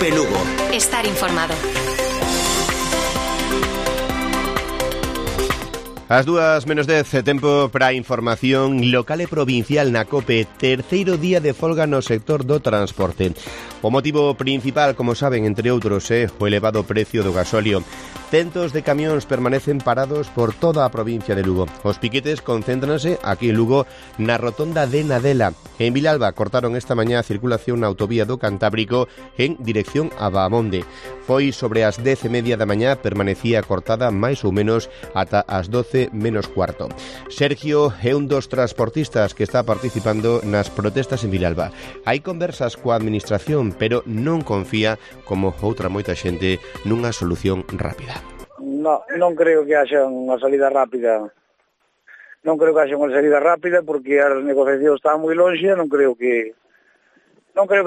Cope Lugo. Estar informado. As 2:10, tempo para a información local e provincial na COPE. Terceiro día de folga no sector do transporte. O motivo principal, como saben, entre outros, é o elevado precio do gasóleo. Centos de camións permanecen parados por toda a provincia de Lugo. Os piquetes concéntranse aquí en Lugo na rotonda de Nadela. En Vilalba cortaron esta mañá a circulación na autovía do Cantábrico en dirección a Baamonde. Foi sobre as 10:30 da mañá, permanecía cortada máis ou menos ata as 12 menos cuarto. Sergio é un dos transportistas que está participando nas protestas en Vilalba. Hai conversas coa administración, pero non confía, como outra moita xente, nunha solución rápida. Non creo que haxa unha salida rápida. Non creo que haxa unha salida rápida porque as negociacións están moi lonxe, non creo que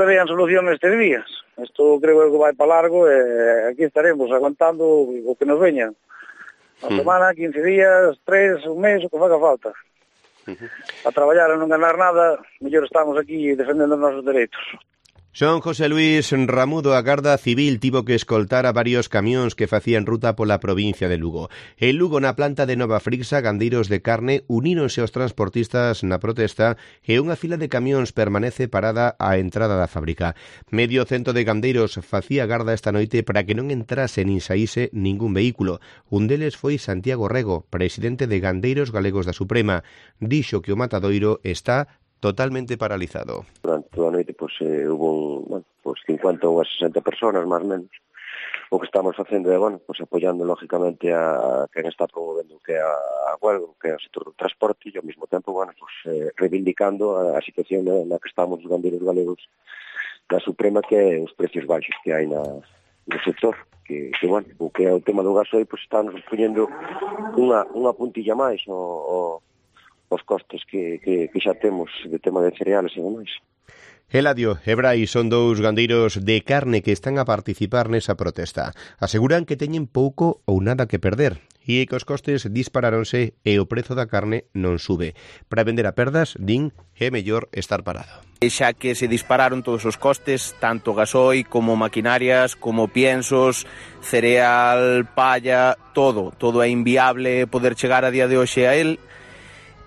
vean solución nestes días. Isto creo que vai para largo e aquí estaremos aguantando o que nos veña. Una semana, 15 días, 3, un mes, o que faga falta. A traballar e non ganar nada, mellor estamos aquí defendendo os nosos dereitos. Son José Luis Ramudo, a Garda Civil tivo que escoltar a varios camións que facían ruta pola provincia de Lugo. En Lugo, na planta de Nova Frixa, gandeiros de carne uníronse aos transportistas na protesta e unha fila de camións permanece parada á entrada da fábrica. Medio cento de gandeiros facía garda esta noite para que non entrase nin saíse ningún vehículo. Un deles foi Santiago Rego, presidente de Gandeiros Galegos da Suprema. Dixo que o matadoiro está totalmente paralizado. Durante toda a noite hubo 50 ou 60 personas, máis ou menos. O que estamos facendo é, apoiando lógicamente a quen está promovendo que a huelga, que é o sector do transporte, e ao mesmo tempo, reivindicando a situación na que estamos os gandeiros galegos da Suprema, que é os precios baixos que hai no sector. O que é o tema do gasoil, estamos poñendo unha puntilla máis os costes que xa temos de tema de cereales e demais. Eladio e Brai son dous gandeiros de carne que están a participar nesa protesta. Aseguran que teñen pouco ou nada que perder e que os costes disparáronse e o prezo da carne non sube. Para vender a perdas, din, é mellor estar parado. Xa que se dispararon todos os costes, tanto gasoil como maquinarias, como piensos, cereal, palla, todo é inviable poder chegar a día de hoxe a él.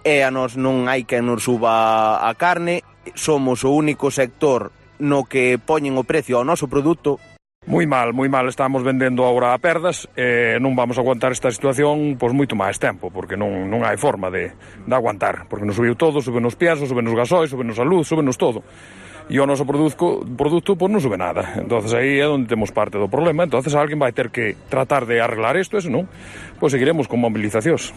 E a nos non hai que nos suba a carne, somos o único sector no que poñen o precio ao noso produto. Moi mal, estamos vendendo agora a perdas e non vamos a aguantar esta situación moito máis tempo, porque non hai forma de aguantar, porque nos subiu todo, suben os piensos, suben os gasoil, suben a luz, suben todo. E o noso produto non sube nada. Entonces aí é onde temos parte do problema. Entonces alguén vai ter que tratar de arreglar isto, e senón, seguiremos con mobilizacións.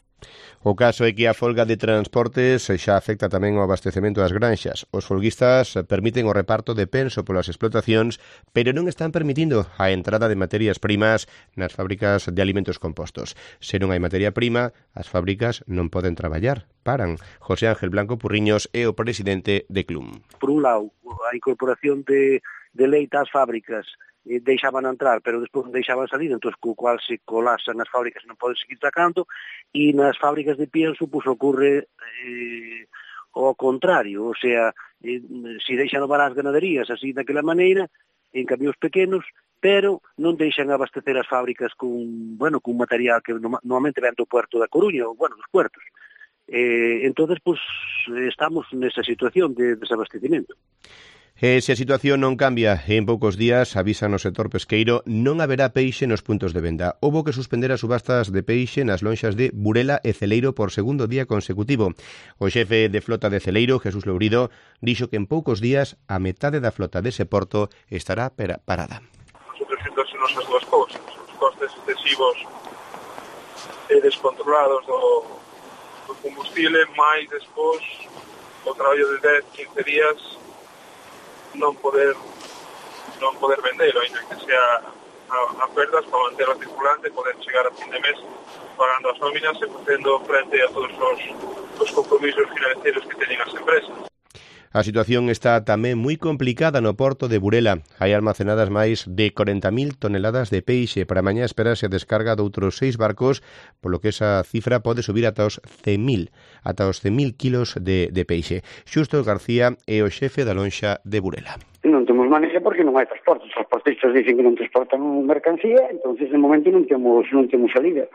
O caso é que a folga de transportes xa afecta tamén o abastecemento das granxas. Os folguistas permiten o reparto de penso polas explotacións, pero non están permitindo a entrada de materias primas nas fábricas de alimentos compostos. Se non hai materia prima, as fábricas non poden traballar. Paran. José Ángel Blanco Purriños é o presidente de Clum. Por un lado, a incorporación de leite ás fábricas deixaban entrar, pero despois non deixaban salir, entón co cual se colapsan as fábricas e non poden seguir sacando, e nas fábricas de pienso ocorre o contrario, o sea, se deixan levar as ganaderías así daquela maneira, en camións pequenos, pero non deixan abastecer as fábricas con material que normalmente ven do puerto da Coruña, ou dos puertos. Entonces, estamos nesa situación de desabastecimento. E se a situación non cambia, en poucos días, avisan no sector pesqueiro, non haberá peixe nos puntos de venda. Houbo que suspender as subastas de peixe nas lonxas de Burela e Celeiro por segundo día consecutivo. O xefe de flota de Celeiro, Jesús Lourido, dixo que en poucos días a metade da flota dese porto estará parada. Nosotros fixéndose nosas dúas cousas, os costes excesivos e descontrolados do combustible, máis despois o traballo de 10, 15 días non poder vendelo, ainda que sea a perdas para manter a circulante, poder chegar a fin de mes pagando as nóminas e facendo frente a todos os compromisos financeiros que teñen as empresas. A situación está tamén moi complicada no porto de Burela. Hai almacenadas máis de 40.000 toneladas de peixe. Para mañá esperase a descarga de outros 6 barcos, polo que esa cifra pode subir ata os 100.000 kilos de peixe. Xusto García é o xefe da lonxa de Burela. Non te temos manexa porque non hai transporte. Os transportistas dicen que non transportan mercancía, entonces de momento non temos salida.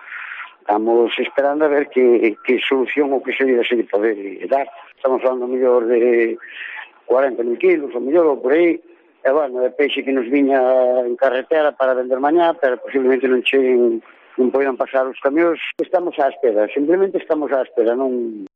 Estamos esperando a ver que solución ou que salida se pode dar. Estamos falando mellor de 40.000 kilos, ou mellor, ou por aí. E, bueno, de peixe que nos viña en carretera para vender mañá, pero posiblemente non cheguen, non poidan pasar os camións. Estamos á espera, simplemente estamos á espera, non...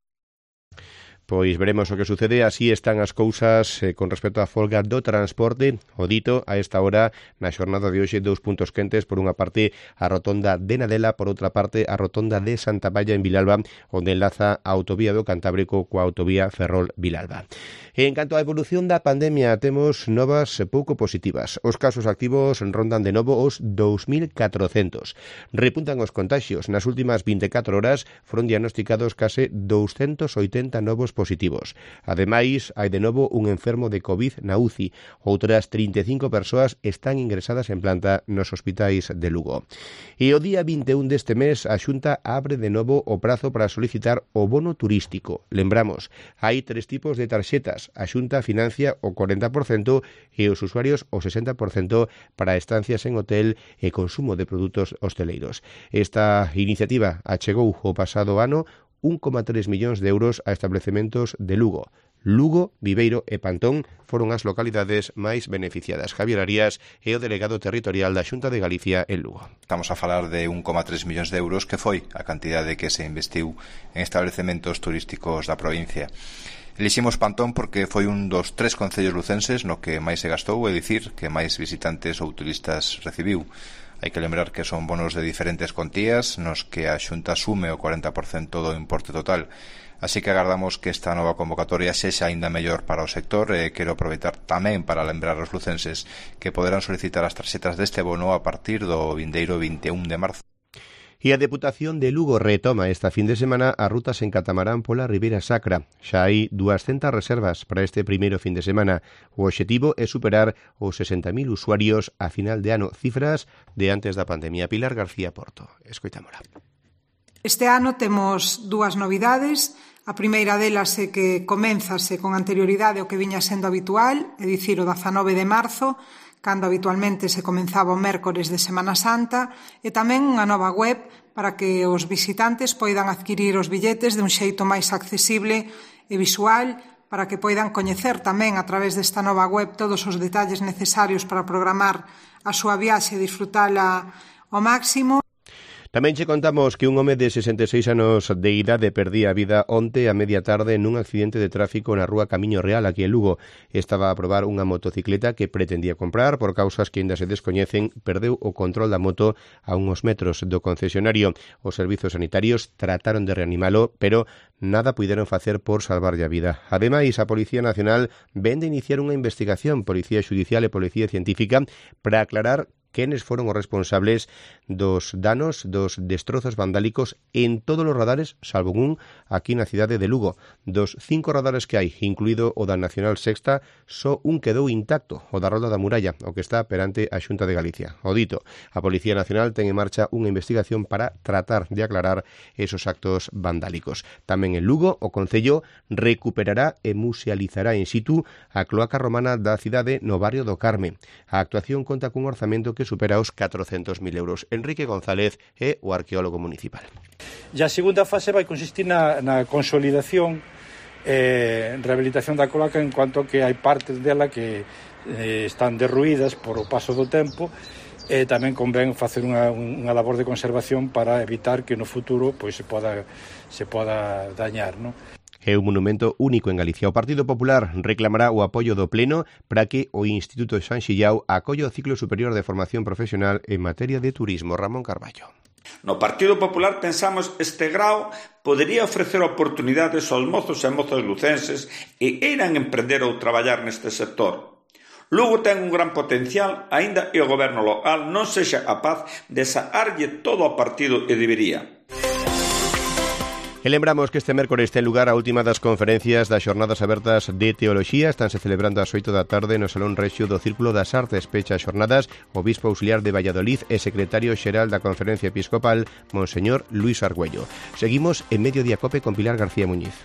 Pois veremos o que sucede. Así están as cousas con respecto á folga do transporte. O dito, a esta hora, na xornada de hoxe, 2 puntos quentes. Por unha parte, a rotonda de Nadela, por outra parte, a rotonda de Santa Valla en Vilalba, onde enlaza a autovía do Cantábrico coa autovía Ferrol-Vilalba. En canto á evolución da pandemia, temos novas pouco positivas. Os casos activos rondan de novo os 2.400. Repuntan os contaxios. Nas últimas 24 horas foron diagnosticados case 280 novos positivos. Ademais, hai de novo un enfermo de COVID na UCI. Outras 35 persoas están ingresadas en planta nos hospitais de Lugo. E o día 21 deste mes, a Xunta abre de novo o prazo para solicitar o bono turístico. Lembramos, hai 3 tipos de tarxetas. A Xunta financia o 40% e os usuarios o 60% para estancias en hotel e consumo de produtos hosteleiros. Esta iniciativa achegou o pasado ano 1,3 millóns de euros a establecementos de Lugo. Lugo, Viveiro e Pantón foron as localidades máis beneficiadas. Javier Arias é o delegado territorial da Xunta de Galicia en Lugo. Estamos a falar de 1,3 millóns de euros que foi a cantidade que se investiu en establecementos turísticos da provincia. Eliximos Pantón porque foi un dos 3 concellos lucenses no que máis se gastou, é dicir, que máis visitantes ou turistas recibiu. Hai que lembrar que son bonos de diferentes contías nos que a Xunta asume o 40% do importe total. Así que agardamos que esta nova convocatoria sexa aínda mellor para o sector e quero aproveitar tamén para lembrar aos lucenses que poderán solicitar as tarxetas deste bono a partir do vindeiro 21 de marzo. E a Deputación de Lugo retoma esta fin de semana as rutas en catamarán pola Ribeira Sacra. Xa hai 200 reservas para este primeiro fin de semana. O obxectivo é superar os 60.000 usuarios a final de ano, cifras de antes da pandemia. Pilar García Porto, escoitámola. Este ano temos 2 novidades. A primeira delas é que coménzase con anterioridade o que viña sendo habitual, é dicir, o 19 de marzo, cando habitualmente se comenzaba o mércores de Semana Santa, e tamén unha nova web para que os visitantes poidan adquirir os billetes de un xeito máis accesible e visual, para que poidan coñecer tamén a través desta nova web todos os detalles necesarios para programar a súa viaxe e disfrutala ao máximo. Tamén che contamos que un home de 66 anos de idade perdía a vida onte a media tarde nun accidente de tráfico na rúa Camiño Real, aquí en Lugo. Estaba a probar unha motocicleta que pretendía comprar. Por causas que ainda se descoñecen, perdeu o control da moto a uns metros do concesionario. Os servizos sanitarios trataron de reanimalo, pero nada puideron facer por salvarlle a vida. Ademais, a Policía Nacional vén de iniciar unha investigación, Policía Xudicial e Policía Científica, para aclarar quenes foron os responsables dos danos, dos destrozos vandálicos en todos os radares, salvo un aquí na cidade de Lugo. Dos 5 radares que hai, incluído o da Nacional Sexta, só un quedou intacto, o da Rolda da Muralla, o que está perante a Xunta de Galicia. O dito, a Policía Nacional ten en marcha unha investigación para tratar de aclarar esos actos vandálicos. Tamén en Lugo, o Concello recuperará e musealizará in situ a cloaca romana da cidade no barrio do Carme. A actuación conta cun orzamento que supera os 400.000 euros. Enrique González é o arqueólogo municipal. E a segunda fase vai consistir na consolidación e rehabilitación da cloaca, en cuanto que hai partes dela que están derruídas por o paso do tempo, e tamén convén facer unha labor de conservación para evitar que no futuro pois se poda dañar, non? É un monumento único en Galicia. O Partido Popular reclamará o apoio do Pleno para que o Instituto San Xillao acolla o ciclo superior de formación profesional en materia de turismo. Ramón Carballo. No Partido Popular pensamos este grao podería ofrecer oportunidades aos mozos e mozas lucenses e irán emprender ou traballar neste sector. Lugo ten un gran potencial, aínda e o goberno local non sexa capaz de saarlle todo ao partido e debería. E lembramos que este mércores ten lugar a última das conferencias das Xornadas Abertas de Teoloxía. Estanse celebrando ás 8 da tarde no Salón Rexio do Círculo das Artes. Pecha as xornadas o bispo auxiliar de Valladolid e secretario xeral da Conferencia Episcopal, Monseñor Luis Argüello. Seguimos en Mediodía Cope con Pilar García Muñiz.